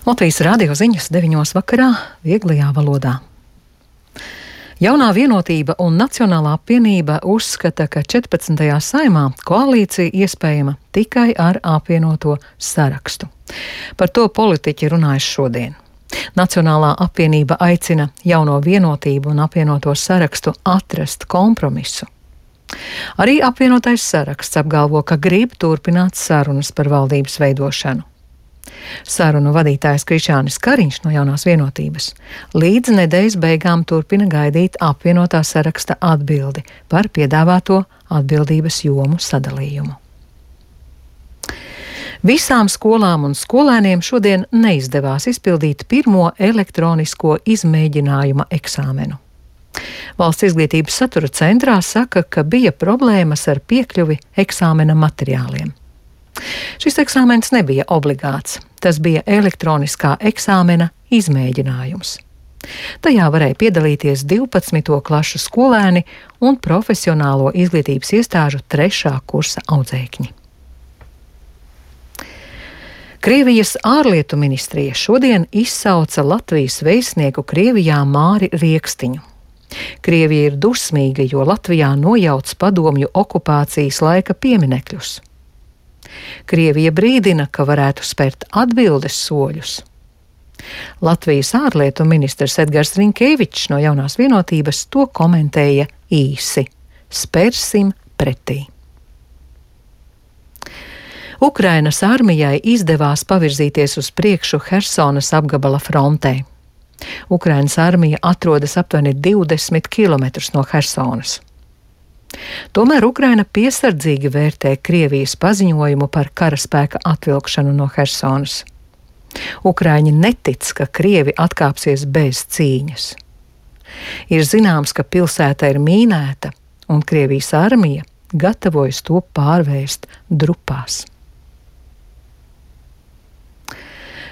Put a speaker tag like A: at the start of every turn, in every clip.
A: Latvijas radio ziņas 9 vakarā vieglajā valodā. Jaunā vienotība un Nacionālā apvienība uzskata, ka 14. saimā koalīcija iespējama tikai ar apvienoto sarakstu. Par to politiķi runājas šodien. Nacionālā apvienība aicina jauno vienotību un apvienoto sarakstu atrast kompromisu. Arī apvienotais saraksts apgalvo, ka grib turpināt sarunas par valdības veidošanu. Sarunu vadītājs Krišjānis Kariņš no Jaunās vienotības līdz nedēļas beigām turpina gaidīt apvienotā saraksta atbildi par piedāvāto atbildības jomu sadalījumu. Visām skolām un skolēniem šodien neizdevās izpildīt pirmo elektronisko izmēģinājuma eksāmenu. Valsts izglītības satura centrā saka, ka bija problēmas ar piekļuvi eksāmena materiāliem. Šis eksāmens nebija obligāts, tas bija elektroniskā eksāmena izmēģinājums. Tajā varēja piedalīties 12. klašu skolēni un profesionālo izglītības iestāžu 3. kursa audzēkņi. Krievijas ārlietu ministrija šodien izsauca Latvijas vēstnieku Krievijā Māri Riekstiņu. Krievija ir dusmīga, jo Latvijā nojauc padomju okupācijas laika pieminekļus. Krievija brīdina, ka varētu spērt atbildes soļus. Latvijas ārlietu ministrs Edgars Rinkēvičs no Jaunās vienotības to komentēja īsi: spērsim pretī. Ukrainas armijai izdevās pavirzīties uz priekšu Hersonas apgabala frontē. Ukrainas armija atrodas aptuveni 20 kilometrus no Hersonas. Tomēr Ukraina piesardzīgi vērtē Krievijas paziņojumu par karaspēka atvilkšanu no Hersonas. Ukraiņi netic, ka Krievi atkāpsies bez cīņas. Ir zināms, ka pilsēta ir mīnēta, un Krievijas armija gatavojas to pārvērst drupās.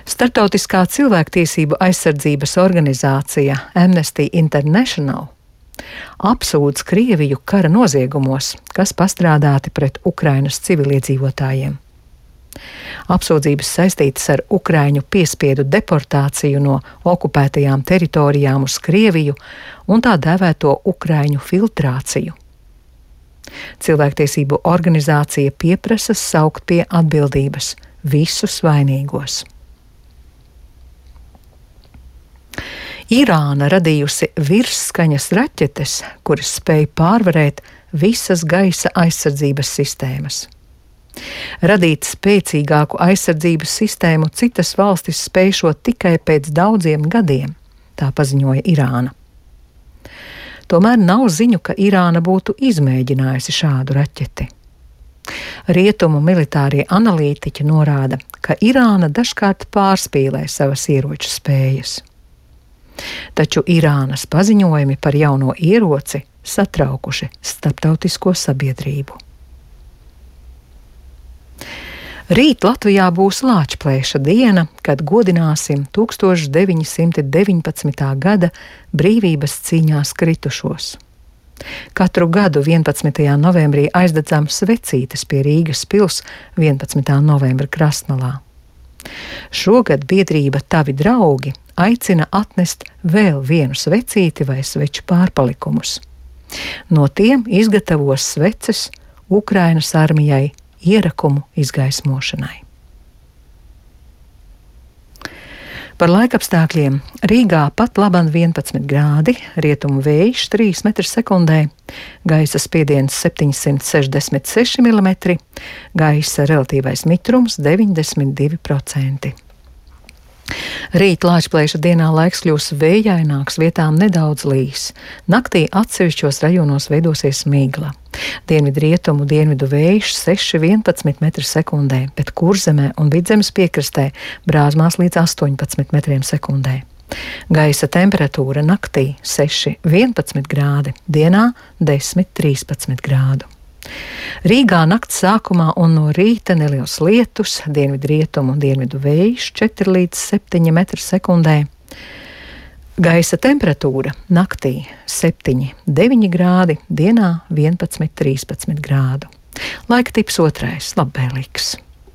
A: Startautiskā cilvēktiesību aizsardzības organizācija Amnesty International apsūdz Krieviju kara noziegumos, kas pastrādāti pret Ukrainas civiliedzīvotājiem. Apsūdzības saistītas ar ukraiņu piespiedu deportāciju no okupētajām teritorijām uz Krieviju un tā dēvēto ukraiņu filtrāciju. Cilvēktiesību organizācija pieprasa saukt pie atbildības visus vainīgos. Irāna radījusi virsskaņas raķetes, kuras spēj pārvarēt visas gaisa aizsardzības sistēmas. Radīt spēcīgāku aizsardzības sistēmu citas valstis spēšot tikai pēc daudziem gadiem, tā paziņoja Irāna. Tomēr nav ziņu, ka Irāna būtu izmēģinājusi šādu raķeti. Rietumu militārie analītiķi norāda, ka Irāna dažkārt pārspīlē savas ieroču spējas. Taču Irānas paziņojumi par jauno ieroci satraukuši starptautisko sabiedrību. Rīt Latvijā būs Lāčplēša diena, kad godināsim 1919. gada brīvības cīņās kritušos. Katru gadu 11. novembrī aizdedzām svecītes pie Rīgas pils 11. novembra Krastmalā. Šogad biedrība Tavi draugi aicina atnest vēl vienu svecīti vai sveču pārpalikumus. No tiem izgatavos sveces Ukrainas armijai ierakumu izgaismošanai. Par laikapstākļiem Rīgā pat laban 11 grādi, rietumu vējš 3 m/sekundē, gaisa spiediens 766 mm, gaisa relatīvais mitrums 92%. Rīt Lāčplēša dienā laiks kļūs vējaināks, vietām nedaudz līs. Naktī atsevišķos rajonos veidosies migla. Dienvidrietumu dienvidu vējš 6–11 m/sekundē, bet Kurzemē un Vidzemes piekrastē brāzmās līdz 18 m/sekundē. Gaisa temperatūra naktī 6–11 grādi, dienā 10–13 grādu. Rīgā nakts sākumā un no rīta neliels lietus, dienvidrietumu un dienvidu vējš 4–7 m/sekundē. Gaisa temperatūra naktī 7–9 grādi, dienā 11–13 grādu. Laika tips otrais - labvēlīgs.